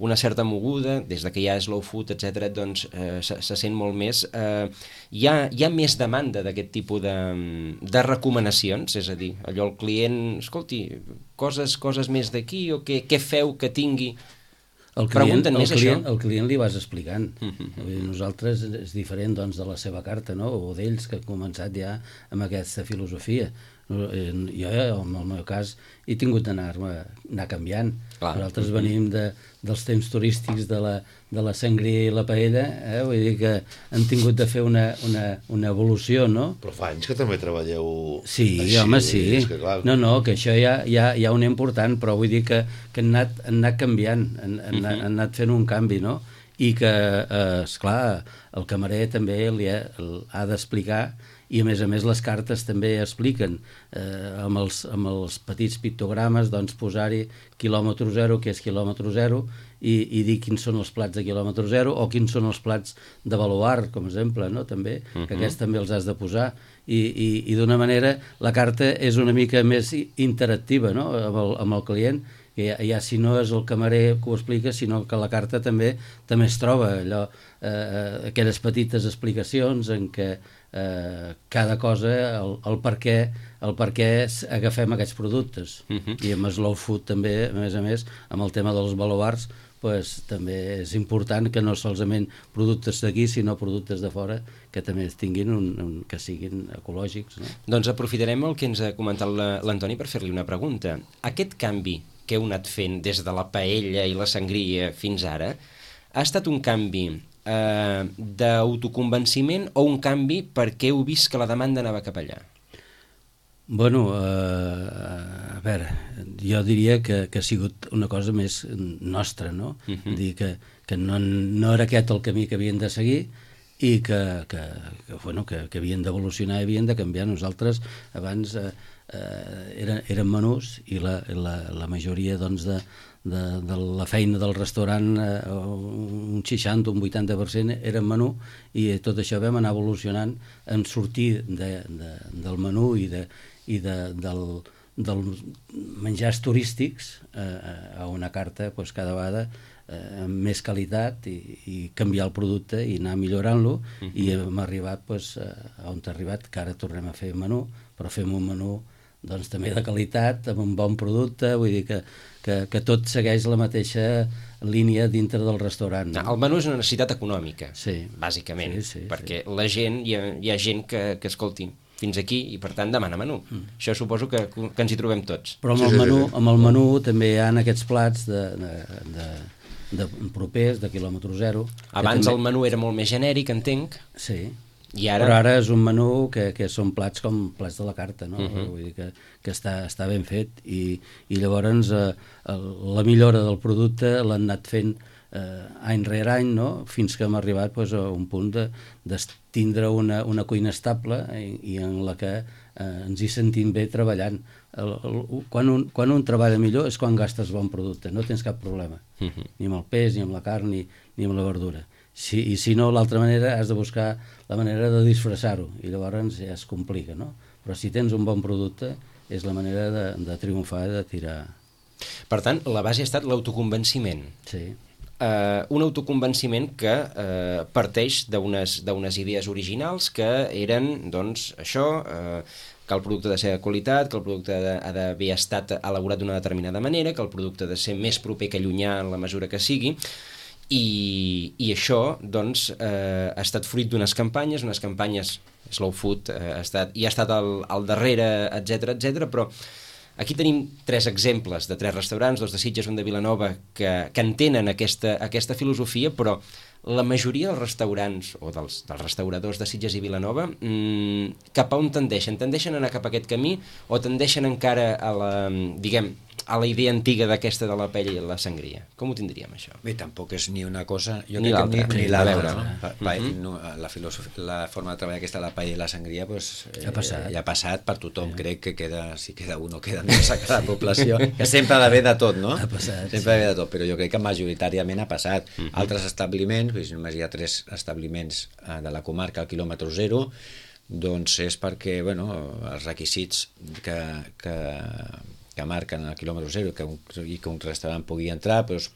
una certa moguda, des de que hi ha slow food, etcètera, doncs eh, se, se sent molt més. Eh, hi, ha, hi ha més demanda d'aquest tipus de, de recomanacions, és a dir, allò el client, escolti, coses, coses més d'aquí, o què, què feu que tingui... El client, el, client, el client li vas explicant. Mm-hmm. Nosaltres és diferent doncs, de la seva carta, no? O d'ells que han començat ja amb aquesta filosofia. Jo, en el meu cas, he tingut d'anar anar canviant. Clar. Nosaltres venim de, dels temps turístics de la, de la sangria i la paella, eh? Vull dir que han tingut de fer una, una, una evolució, no? Però fa anys que també treballeu sí, així. Home, sí, que, clar... no, no, que això ja, ja, ja un important, però vull dir que, que han, anat, han anat canviant, han, han, uh-huh. han anat fent un canvi, no? I que, eh, esclar, el camarer també li ha, ha d'explicar, i a més a més les cartes també expliquen eh, amb, els, amb els petits pictogrames doncs posar-hi quilòmetre zero, que és quilòmetre zero, i, i dir quins són els plats de quilòmetre zero o quins són els plats de baluart, com a exemple, no? També, uh-huh. que aquests també els has de posar, i, i, i d'una manera la carta és una mica més interactiva, no? amb, el, amb el client, que ja, ja si no és el camarer que ho explica, sinó que la carta també també es troba allò, eh, aquelles petites explicacions en què eh, cada cosa, el, el per què el per què agafem aquests productes. Uh-huh. I amb Slow Food també, a més a més, amb el tema dels baluarts, pues, també és important que no solament productes d'aquí, sinó productes de fora que també tinguin un, un, que siguin ecològics. No? Doncs aprofitarem el que ens ha comentat l'Antoni per fer-li una pregunta. Aquest canvi que heu anat fent des de la paella i la sangria fins ara, ha estat un canvi eh, d'autoconvenciment o un canvi perquè heu vist que la demanda anava cap allà? Bueno, eh, a veure, jo diria que, que ha sigut una cosa més nostra, no? Uh-huh. Dir que, que no, no era aquest el camí que havien de seguir i que, que, que, bueno, que, que havien d'evolucionar i havien de canviar. Nosaltres abans eh, eh, eren, eren menús i la, la, la majoria doncs, de, de, de la feina del restaurant, eh, un seixanta, un vuitanta per cent eren menú, i tot això vam anar evolucionant en sortir de, de, del menú i de i de, del, dels menjars turístics eh, a una carta pues, cada vegada eh, amb més qualitat i, i canviar el producte i anar millorant-lo. Uh-huh. I hem arribat pues, a on ha arribat, que ara tornem a fer menú, però fem un menú doncs, també de qualitat, amb un bon producte, vull dir que, que, que tot segueix la mateixa línia dintre del restaurant. No? El menú és una necessitat econòmica, sí. bàsicament, sí, sí, perquè sí. la gent, hi ha, hi ha gent que, que escolti, fins aquí, i per tant demana menú. Mm. Això suposo que, que ens hi trobem tots. Però amb el menú, amb el menú també hi ha aquests plats de, de, de, de propers, de quilòmetre zero. Abans també... el menú era molt més genèric, entenc. Sí, I ara... però ara és un menú que, que són plats com plats de la carta, no? Uh-huh. Vull dir que, que està, està ben fet, i, i llavors eh, la millora del producte l'han anat fent eh, any rere any, no? Fins que hem arribat pues, a un punt de, de tindre una, una cuina estable i, i en la que eh, ens hi sentim bé treballant. El, el, quan, un, quan un treballa millor és quan gastes bon producte, no tens cap problema, uh-huh. ni amb el peix, ni amb la carn, ni, ni amb la verdura. Si, I si no, l'altra manera has de buscar la manera de disfressar-ho, i llavors ja es complica, no? Però si tens un bon producte és la manera de, de triomfar i de tirar. Per tant, la base ha estat l'autoconvenciment. Sí. eh, un autoconvenciment que eh, parteix d'unes d'unes idees originals que eren, doncs, això, eh, que el producte ha de ser de qualitat, que el producte ha d'haver estat elaborat d'una determinada manera, que el producte ha de ser més proper que llunyà en la mesura que sigui, i, i això, doncs, eh, ha estat fruit d'unes campanyes, unes campanyes Slow Food eh, ha estat, i ha estat al, al darrere, etcètera, etcètera, però aquí tenim tres exemples de tres restaurants, dos de Sitges, un de Vilanova, que, que entenen aquesta, aquesta filosofia, però la majoria dels restaurants, o dels, dels restauradors de Sitges i Vilanova, mmm, cap a on tendeixen? Tendeixen a anar cap a aquest camí o tendeixen encara a la, diguem, a la idea antiga d'aquesta de la paella i la sangria? Com ho tindríem, això? Bé, tampoc és ni una cosa... Jo ni l'altra. Ni, ni l'altra, no? no? Pa, uh -huh. no, la, filosofia, la forma de treballar aquesta de la paella i la sangria, pues, eh, ha passat. ja ha passat per tothom. Sí. Crec que queda, si queda un o queda més a cada població, que sempre ha d'haver de tot, no? Ha passat. Sempre ha d'haver de tot, però jo crec que majoritàriament ha passat. Uh -huh. Altres establiments, doncs, només hi ha tres establiments eh, de la comarca al quilòmetre zero, doncs és perquè, bueno, els requisits que... que que marquen el quilòmetre zero que un, i que un restaurant pugui entrar, però es,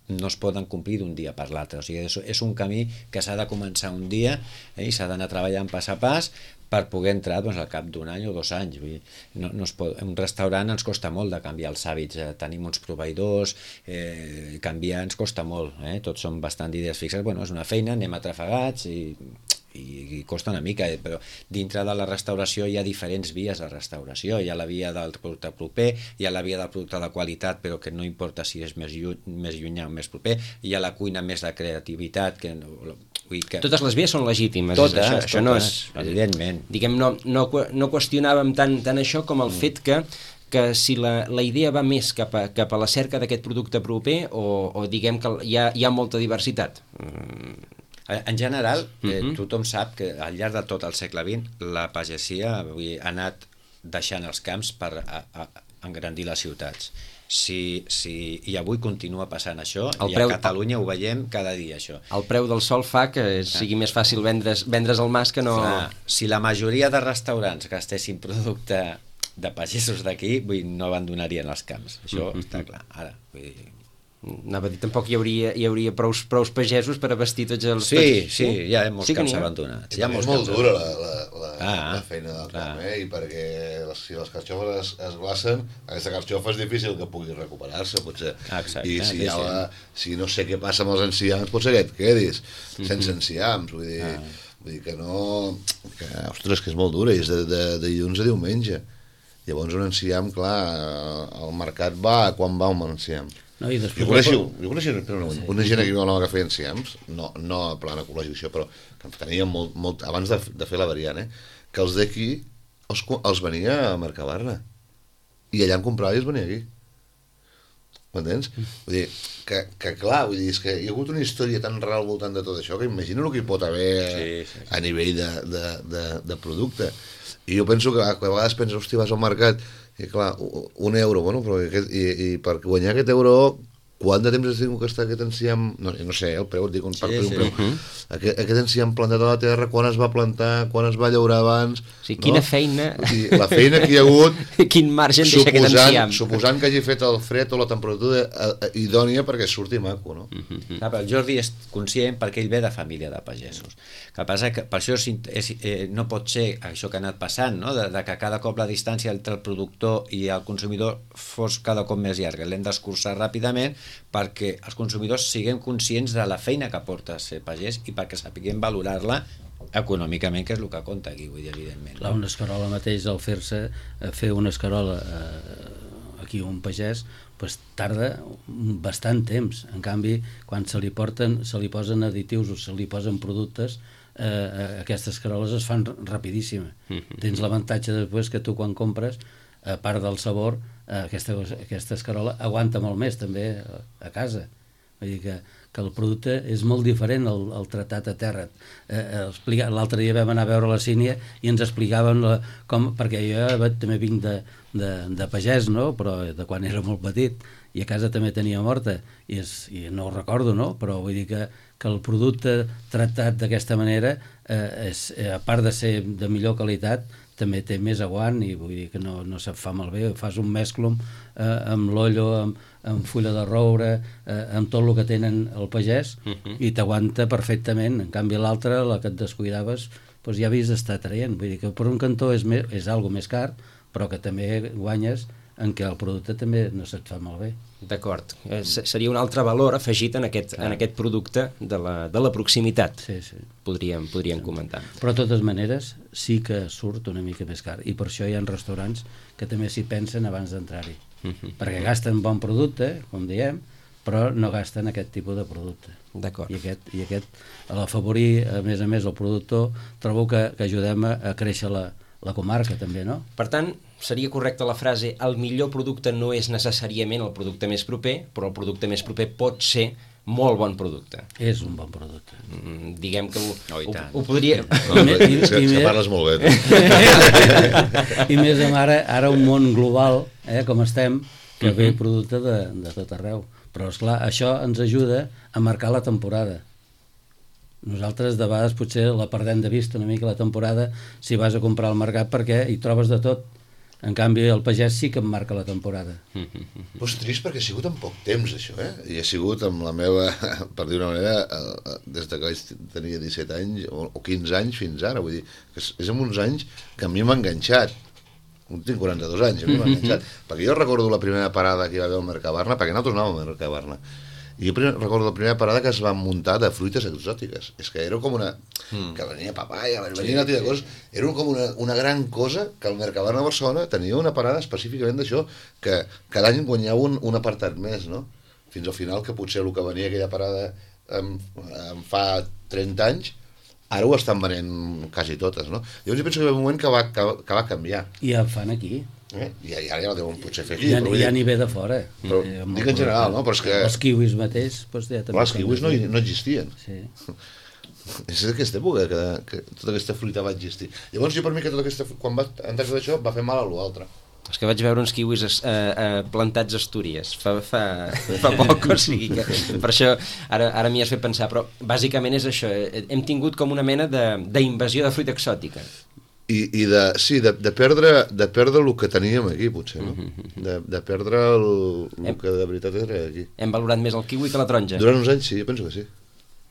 no es poden complir d'un dia per l'altre. O sigui, és, és un camí que s'ha de començar un dia eh, i s'ha d'anar treballant pas a pas per poder entrar, doncs, al cap d'un any o dos anys. Vull dir, no, no es pot, un restaurant ens costa molt de canviar els hàbits. Eh, tenim uns proveïdors, eh, canviar ens costa molt. Eh? Tots són bastant idees fixes. Bueno, és una feina, anem atrafegats i... i costa una mica, però dintre de la restauració hi ha diferents vies de restauració. Hi ha la via del producte proper, hi ha la via del producte de qualitat, però que no importa si és més, lluny, més llunyà o més proper, hi ha la cuina més de creativitat, que, vull dir que... Totes les vies són legítimes. Totes, això, totes, això no és, evidentment. Diguem, no, no, no qüestionàvem tant, tant això com el mm. fet que que si la, la idea va més cap a, cap a la cerca d'aquest producte proper o, o diguem que hi ha, hi ha molta diversitat. Mm. En general, eh, uh-huh. tothom sap que al llarg de tot el segle vint la pagesia vull dir, ha anat deixant els camps per a, a, engrandir les ciutats. Si, si, I avui continua passant això, el i preu, a Catalunya ho veiem cada dia, això. El preu del sol fa que sigui més fàcil vendre's, vendre's al mas que no... Clar, si la majoria de restaurants gastessin producte de pagesos d'aquí, no abandonarien els camps. Això uh-huh. està clar. Ara, vull dir... Anava a dir, tampoc hi hauria, hi hauria prous, prous pagesos per abastir tots els... Sí, tots, sí, hi ha molts sí camps abandonats. Hi ha és molt dura la, la, la, ah, la feina del camp, eh? I perquè les, si les carxofes es, es glacen, aquesta carxofa és difícil que pugui recuperar-se, potser. Exacte, I si, sí, ha la, sí. si no sé què passa amb els enciams, potser que et quedis sense enciams, vull dir, ah. vull dir que no... Que, ostres, que és molt dura, i és de, de, de dilluns a diumenge. Llavors un enciam, clar, al mercat va quan va un enciam. No, i després... Jo coneixo, jo coneixo una, una gent aquí que feia enciams, no, no a plan ecològic això, però que tenia molt, molt, abans de, de fer la variant, eh, que els d'aquí els, els venia a Mercabarna i allà en comprava i els venia aquí. M'entens? Vull dir, que, que clar, vull dir, és que hi ha hagut una història tan rara al voltant de tot això que imagina el que hi pot haver sí, sí, sí. a nivell de, de, de, de producte. I jo penso que a vegades penses, hosti, vas al mercat i clar, un euro, bueno, però aquest, i, i per guanyar aquest euro, quant de temps has tingut que està aquest enciam, no, no sé, el preu, et dic un part sí, per un preu, sí. aquest, aquest enciam plantat a la terra, quan es va plantar, quan es va llaurar abans... O sigui, quina no? feina... O sigui, la feina que hi ha hagut... Quin marge deixa aquest enciam. Suposant que hagi fet el fred o la temperatura idònia perquè surti maco, no? Mm-hmm. Ah, el Jordi és conscient perquè ell ve de família de pagesos. El que passa que per això és, és, eh, no pot ser això que ha anat passant, no? de, de que cada cop la distància entre el productor i el consumidor fos cada cop més llarga. L'hem d'escurçar ràpidament perquè els consumidors siguem conscients de la feina que porta ser pagès i perquè sapiguem valorar-la econòmicament, que és el que compta aquí, vull dir, evidentment. Clar, una escarola mateix, al fer-se, fer una escarola eh, aquí un pagès, pues, tarda bastant temps. En canvi, quan se li porten, se li posen additius o se li posen productes, eh, aquestes escaroles es fan rapidíssima. Mm-hmm. Tens l'avantatge després que tu quan compres, a part del sabor, eh, aquesta, aquesta escarola aguanta molt més també a, a casa. Vull dir que, que el producte és molt diferent al, al tratat a terra. Eh, l'altre dia vam anar a veure la Sínia i ens explicaven la, com, perquè jo també vinc de, de, de pagès, no? Però de quan era molt petit, i a casa també tenia morta, i, és, i no ho recordo, no? Però vull dir que, que el producte tractat d'aquesta manera, eh, és, a part de ser de millor qualitat, també té més aguant i vull dir que no, no se't fa malbé. Fas un mesclum eh, amb l'ollo, amb, amb fulla de roure, eh, amb tot el que tenen el pagès, uh-huh. i t'aguanta perfectament. En canvi l'altre, la que et descuidaves, doncs ja havies d'estar traient. Vull dir que per un cantó és, més, és algo més car, però que també guanyes en què el producte també no se't fa malbé. D'acord. Seria un altre valor afegit en aquest, en aquest producte de la, de la proximitat. Sí, sí. Podríem, podríem sí. comentar. Però de totes maneres sí que surt una mica més car, i per això hi ha restaurants que també s'hi pensen abans d'entrar-hi. Uh-huh. Perquè gasten bon producte, com diem, però no gasten aquest tipus de producte. D'acord. I aquest, i aquest a l'afavorir, a més a més, el productor, trobo que, que ajudem a, a créixer la, la comarca també, no? Per tant, seria correcta la frase el millor producte no és necessàriament el producte més proper, però el producte més proper pot ser molt bon producte. És un bon producte. Mm, diguem que ho, oh, ho, ho podria... No, I, i, i, que parles molt bé. I més amb ara, ara un món global, eh, com estem, que uh-huh. ve producte de, de tot arreu. Però, esclar, això ens ajuda a marcar la temporada. Nosaltres de vegades potser la perdem de vista una mica la temporada si vas a comprar al mercat perquè hi trobes de tot. En canvi el pagès sí que em marca la temporada. Però és trist perquè ha sigut en poc temps això, eh? I ha sigut amb la meva, per dir una manera, des de que vaig tenir disset anys o quinze anys fins ara, vull dir, que és en uns anys que a mi m'ha enganxat. Tinc quaranta-dos anys, a mi m'ha enganxat. Perquè jo recordo la primera parada que hi va haver al Mercabarna, perquè nosaltres anàvem al Mercabarna, i jo recordo la primera parada que es va muntar de fruites exòtiques. És que era com una... Mm. que venia papaya, venia sí, una tira de coses. Era com una, una gran cosa que el Mercabarna de Barcelona tenia una parada específicament d'això, que cada any guanyava un, un apartat més, no? Fins al final, que potser el que venia aquella parada em, em fa trenta anys, ara ho estan venent quasi totes, no? Llavors jo penso que hi va un moment que va, que, que va canviar. I el fan aquí. Eh? I ara ja no deuen potser fer aquí. Ja, però ja n'hi ve de fora. Però, eh, dic en general, no? Però és que... Els kiwis mateix... Doncs ja clar, els kiwis no, no existien. Sí. És d'aquesta època que, que tota aquesta fruita va existir. Llavors jo per mi que tota aquesta... quan va entrar tot això va fer mal a l'altre. És que vaig veure uns kiwis eh, eh, plantats a Astúries fa, fa, fa poc, o sigui que per això ara, ara m'hi has fet pensar, però bàsicament és això, hem tingut com una mena d'invasió de, de fruita exòtica. I, i de, sí, de, de, perdre, de perdre el que teníem aquí, potser, no? De, de perdre el, el hem, que de veritat era aquí. Hem valorat més el kiwi que la taronja? Durant uns anys sí, jo penso que sí.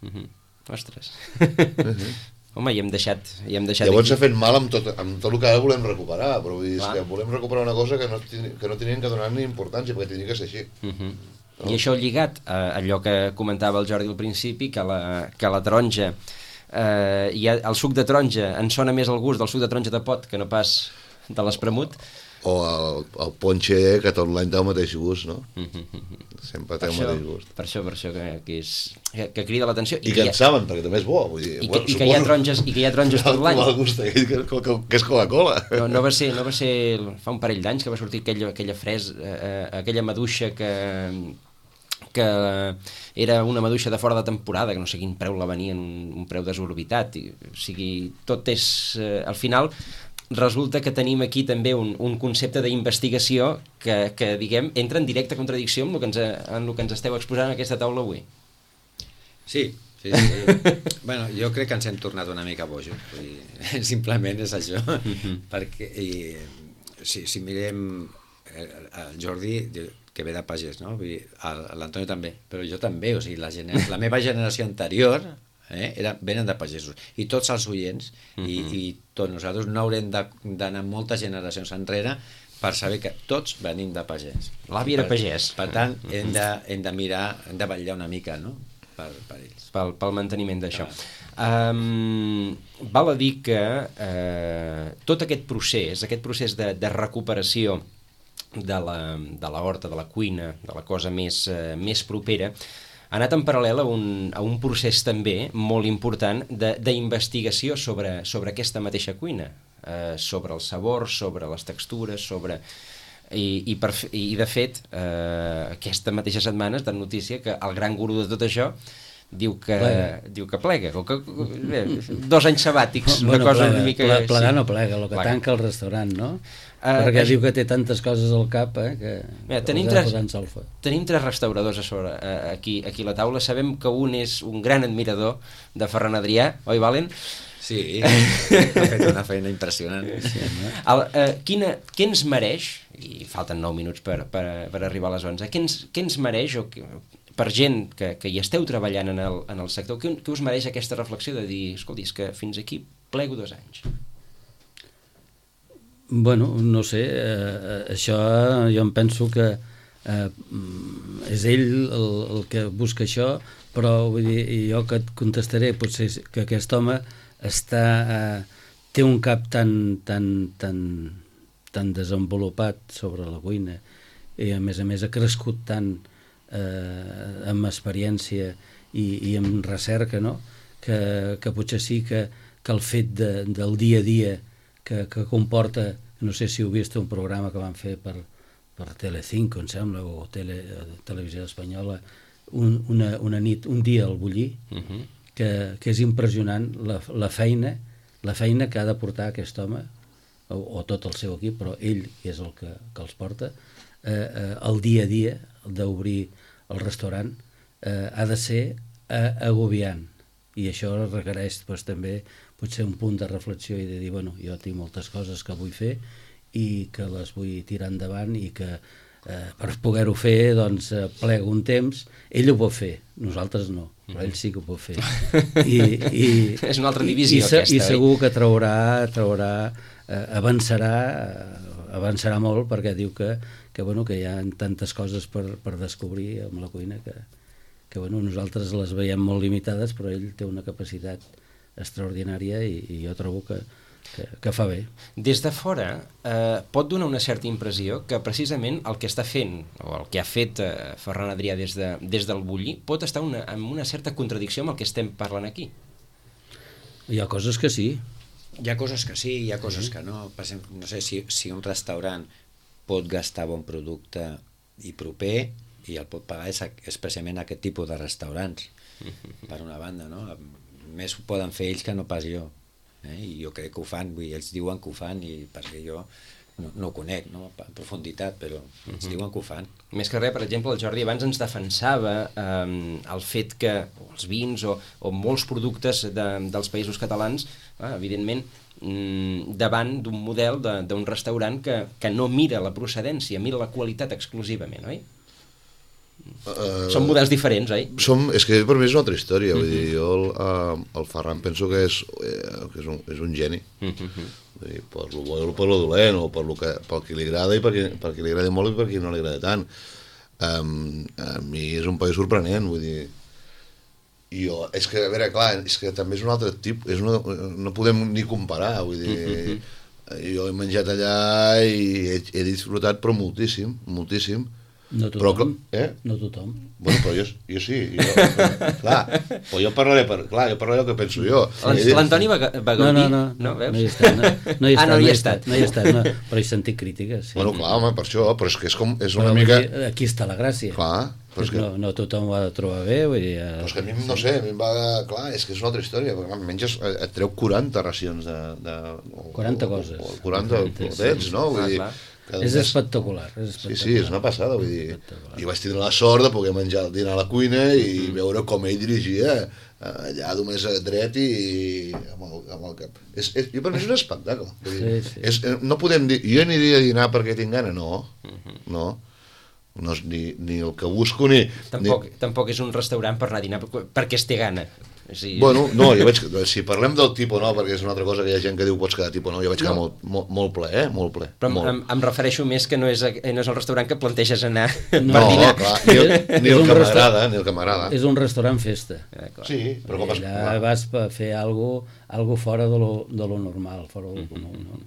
Uh-huh. Ostres. Uh-huh. Home, i hem deixat... I hem deixat llavors s'ha fet mal amb tot, amb tot el que ara volem recuperar, però vull dir, és que volem recuperar una cosa que no, que no tenien que donar ni importància, perquè tenia que ser així. Uh-huh. No? I això lligat a allò que comentava el Jordi al principi, que la, que la taronja, eh, i el suc de taronja, en sona més el gust del suc de taronja de pot que no pas de l'espremut. O el, el ponche, que tot l'any té el mateix gust, no? Sempre té el mateix gust. Per això, per això que, que, és, que, que crida l'atenció. I, I que en saben, perquè també és bo. Vull dir, I, bueno, que, i, que hi ha taronges, I que hi ha taronges tot l'any. El gust aquell que, que, que és Coca-Cola. No, no, va ser, no va ser fa un parell d'anys que va sortir aquella, aquella fres, eh, aquella maduixa que... que era una maduixa de fora de temporada, que no sé quin preu la venien, un, un preu desorbitat. I, o sigui, tot és... Eh, al final... resulta que tenim aquí també un, un concepte d'investigació que, que, diguem, entra en directa contradicció amb el que ens, en el que ens esteu exposant en aquesta taula avui. Sí, sí, sí. Bueno, jo crec que ens hem tornat una mica bojos. Vull dir, simplement és això. Uh-huh. Perquè i, si, si mirem el Jordi, que ve de pagès, no? Vull dir, l'Antonio també, però jo també, o sigui, la, gener... la meva generació anterior... Eh? Era, venen de pagesos, i tots els oients uh-huh. i, i tots nosaltres no haurem d'anar moltes generacions enrere per saber que tots venim de pagès. L'avi era pagès. Per tant, uh-huh. hem, de, hem de mirar, hem de vetllar una mica, no? per, per ells. Pel, pel manteniment d'això. Ah. Um, val a dir que uh, tot aquest procés, aquest procés de, de recuperació de la, de la horta, de la cuina, de la cosa més, uh, més propera, ha anat en paral·lel a un, a un procés també molt important d'investigació sobre, sobre aquesta mateixa cuina, eh, sobre el sabor, sobre les textures, sobre... I, i, per, i de fet, eh, aquesta mateixa setmana és de notícia que el gran gurú de tot això diu que plega. diu que plega, o que, bé, dos anys sabàtics, una bueno, cosa plega, una mica... Plegar sí. no plega, el que Bueno. tanca el restaurant, no? Uh, Perquè això... diu que té tantes coses al cap, eh, que... Bé, tenim, que tres, posant solfa. tenim tres restauradors a sobre, eh, aquí, aquí a la taula. Sabem que un és un gran admirador de Ferran Adrià, oi, Valen? Sí, ha fet una feina impressionant. Sí, no? El, eh, quina, què ens mereix, i falten nou minuts per, per, per arribar a les onze, què ens, què ens mereix, o que, per gent que, que hi esteu treballant en el, en el sector, què, què us mereix aquesta reflexió de dir, escolti, és que fins aquí plego dos anys? Bueno, no sé, eh, això jo em penso que eh, és ell el, el que busca això, però vull dir, jo que et contestaré potser que aquest home està, eh, té un cap tan, tan, tan, tan desenvolupat sobre la cuina i a més a més ha crescut tant eh, amb experiència i, i amb recerca, no? que, que potser sí que, que el fet de, del dia a dia que, que comporta, no sé si heu vist un programa que van fer per, per Telecinco, em sembla, o tele, Televisió Espanyola, un, una, una nit, un dia al Bullí, uh-huh. que, que és impressionant la, la feina la feina que ha de portar aquest home, o, o tot el seu equip, però ell és el que, que els porta, eh, eh, el dia a dia d'obrir el restaurant eh, ha de ser eh, agobiant, i això requereix doncs, també potser un punt de reflexió i de dir, bueno, jo tinc moltes coses que vull fer i que les vull tirar endavant i que eh, per poder-ho fer doncs eh, plego un temps. Ell ho pot fer, nosaltres no, però ell sí que ho pot fer. I, i, és una altra divisió i, i, aquesta. I segur que traurà, traurà eh, avançarà, eh, avançarà molt perquè diu que, que, bueno, que hi ha tantes coses per, per descobrir amb la cuina que, que bueno, nosaltres les veiem molt limitades, però ell té una capacitat extraordinària i, i jo trobo que, que, que fa bé. Des de fora eh, pot donar una certa impressió que precisament el que està fent, o el que ha fet eh, Ferran Adrià des, de, des del Bullí, pot estar una, en una certa contradicció amb el que estem parlant aquí. Hi ha coses que sí. Hi ha coses que sí, hi ha coses sí. que no. Per exemple, no sé si, si un restaurant pot gastar bon producte i proper i el pot pagar és, és precisament aquest tipus de restaurants, per una banda, no? Més ho poden fer ells que no pas jo, eh? I jo crec que ho fan, vull dir, ells diuen que ho fan i perquè jo no, no ho conec, no? En profunditat, però ells diuen que ho fan. Més que res, per exemple, el Jordi abans ens defensava eh, el fet que o els vins o, o molts productes de, dels països catalans, eh, evidentment, mm, davant d'un model d'un restaurant que, que no mira la procedència, mira la qualitat exclusivament, oi? Uh, són models diferents, oi? Som, és que per mi és una altra història, uh-huh. vull dir, jo el, uh, el Ferran penso que és, eh, que és, un, és un geni, uh-huh. vull dir, per lo bo o per lo dolent, o per lo que, pel que li agrada i per qui, per qui li agrada molt i per qui no li agrada tant. Um, a mi és un país sorprenent, vull dir, i jo, és que, a veure, clar, és que també és un altre tipus, és una, no podem ni comparar, vull dir, uh-huh. jo he menjat allà i he, he disfrutat, però moltíssim, moltíssim. No tothom, però, eh? no tothom. Bueno, però jo, jo sí, jo, clar, però jo parlaré, per, clar, jo parlaré el que penso jo. L'Antoni va, va no, gaudir, no, no, no, veus? no hi he estat, no, no hi he estat, ah, no hi he estat, estat. no hi he estat, no, però he sentit crítiques. Sí. Bueno, clar, home, per això, però és que és, com, és una però, mica... Dir, aquí està la gràcia. Clar, però és que... No, no tothom ho ha de trobar bé, vull dir... Però és que a mi, no sé, a mi em va... Clar, és que és una altra història, perquè menges, et treu quaranta racions de... de o, quaranta coses. O, o quaranta potets, no? Vull dir, és espectacular, és espectacular. Sí, sí, és una passada, vull dir. I vaig tindre la sort de poder menjar el dinar a la cuina i mm. veure com ell dirigia allà només dret i amb el, amb el cap. És, és, jo per mi és un espectacle. Vull dir, sí, sí. És, no podem dir, jo aniria a dinar perquè tinc gana, no, mm-hmm. no. No és ni, ni el que busco ni... Tampoc, ni... tampoc és un restaurant per anar a dinar perquè es té gana. Sí. Bueno, no, jo veig, si parlem del tipus, no, perquè és una altra cosa que hi ha gent que diu pots quedar tipus, no, jo vaig quedar no. molt, molt, molt ple, eh, molt ple. Però molt. Em, em refereixo més que no és, no és el restaurant que planteges anar no, per dinar. Clar, ni el, ni el que m'agrada, ni el que m'agrada. És un restaurant festa. Ja, sí, però com es... Allà vas a fer alguna cosa, algo fora de lo, de lo normal, fora del comú, no?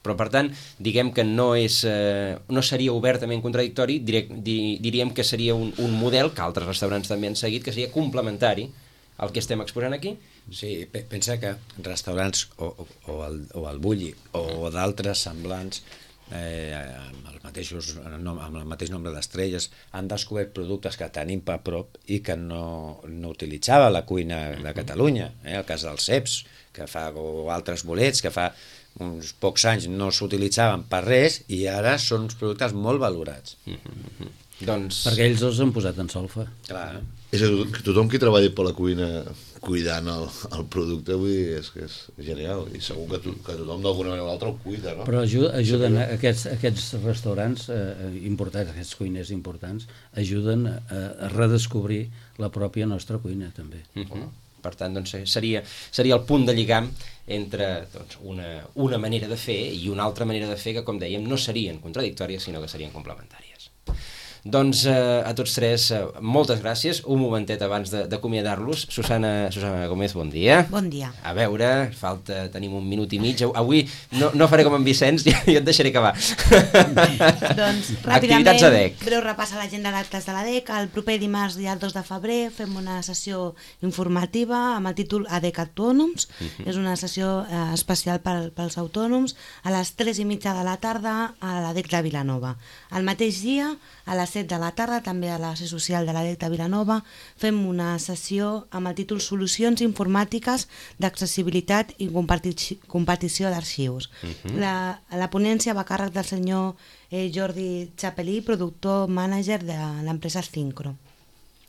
Però, per tant, diguem que no és eh, no seria obertament contradictori, direc, di, diríem que seria un, un model que altres restaurants també han seguit, que seria complementari al que estem exposant aquí. Sí, pensa que restaurants o, o, o, el, o el Bulli o d'altres semblants eh, amb, els mateixos, amb el mateix nombre d'estrelles, han descobert productes que tenim a prop i que no, no utilitzava la cuina de Catalunya. Eh? El cas dels ceps, que fa, o altres bolets, que fa uns pocs anys no s'utilitzaven per res i ara són uns productes molt valorats. Mm-hmm. Doncs... Perquè ells els han posat en solfa. Clar. És a dir, que tothom qui treballi per la cuina cuidant el, el producte, vull dir, és que és genial, i segur que, to, que tothom d'alguna manera o l'altra el cuida, no? Però ajuden, ajuden a aquests, aquests restaurants eh, importants, aquests cuiners importants, ajuden a, a redescobrir la pròpia nostra cuina, també. Mm-hmm. Per tant, doncs, seria, seria el punt de lligam entre doncs, una, una manera de fer i una altra manera de fer que, com dèiem, no serien contradictòries, sinó que serien complementàries. Doncs eh, a tots tres, eh, moltes gràcies. Un momentet abans d'acomiadar-los. Susana, Susana Gómez, bon dia. Bon dia. A veure, falta, tenim un minut i mig. Avui no, no faré com en Vicenç, jo et deixaré acabar. Doncs ràpidament, activitats a D E C. Breu repàs a l'agenda d'actes de la D E C. El proper dimarts, dia dos de febrer, fem una sessió informativa amb el títol A D E C Autònoms. Uh-huh. És una sessió eh, especial pel, pels autònoms. A les tres i mitja de la tarda a la D E C de Vilanova. El mateix dia, a les set de la tarda, també a la sessió social de la D E C de Vilanova, fem una sessió amb el títol Solucions informàtiques d'accessibilitat i comparti- compartició d'arxius. Uh-huh. la, la ponència va a càrrec del senyor eh, Jordi Chapelí, productor mànager de l'empresa Syncro.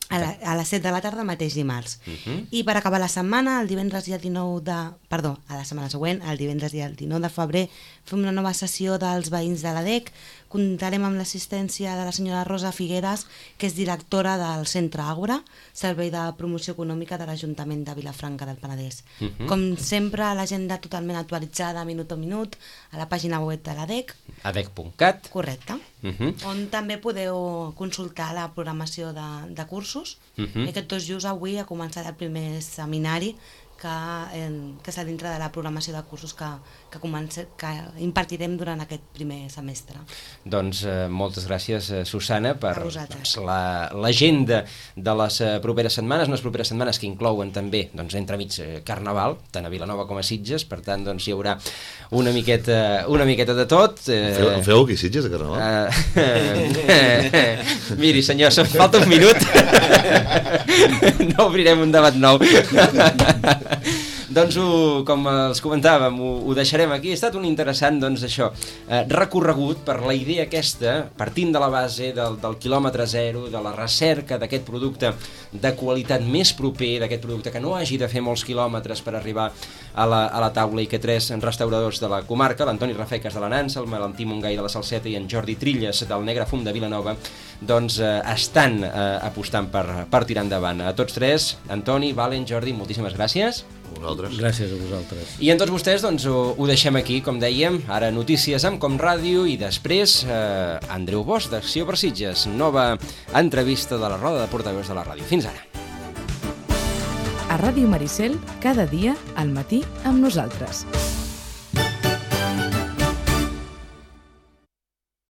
A, la, a les set de la tarda mateix dimarts. Uh-huh. I per acabar la setmana, el divendres dia dinou de... Perdó, a la setmana següent, el divendres dia dinou de febrer, fem una nova sessió dels veïns de la D E C. Comptarem amb l'assistència de la senyora Rosa Figueres, que és directora del Centre Àgora, Servei de Promoció Econòmica de l'Ajuntament de Vilafranca del Penedès. Uh-huh. Com sempre, l'agenda totalment actualitzada minut a minut a la pàgina web de la D E C. a d e c punt cat. Correcte. Uh-huh. On també podeu consultar la programació de, de cursos. Uh-huh. I aquest dos just avui ha començat el primer seminari que, eh, que és a dintre de la programació de cursos que, que, comence, que impartirem durant aquest primer semestre. Doncs eh, moltes gràcies, eh, Susana, per doncs, l'agenda la, de les eh, properes setmanes, unes properes setmanes que inclouen també doncs, entremig eh, Carnaval, tant a Vilanova com a Sitges, per tant doncs, hi haurà una miqueta, una miqueta de tot. Eh, feu, feu aquí Sitges de Carnaval? Eh, miri senyor, se'm falta un minut. No obrirem un debat nou. Doncs, ho, com els comentàvem, ho, ho deixarem aquí. Ha estat un interessant, doncs, això, eh, recorregut per la idea aquesta, partint de la base del, del quilòmetre zero, de la recerca d'aquest producte de qualitat més proper, d'aquest producte que no hagi de fer molts quilòmetres per arribar a la, a la taula, i que tres restauradors de la comarca, l'Antoni Rafeques de la Nansa, el Valentí Montgai de la Salseta i en Jordi Trilles del Negre Fum de Vilanova, doncs eh, estan eh, apostant per, per tirar endavant. A tots tres, Antoni, Valen, Jordi, moltíssimes gràcies. Vosaltres. Gràcies a vosaltres. I en tots vostès doncs, ho, ho deixem aquí, com dèiem, ara notícies amb Com Ràdio i després eh, Andreu Bosch d'Acció per Sitges, nova entrevista de la roda de portaveus de la ràdio. Fins ara. A Ràdio Maricel, cada dia al matí amb nosaltres.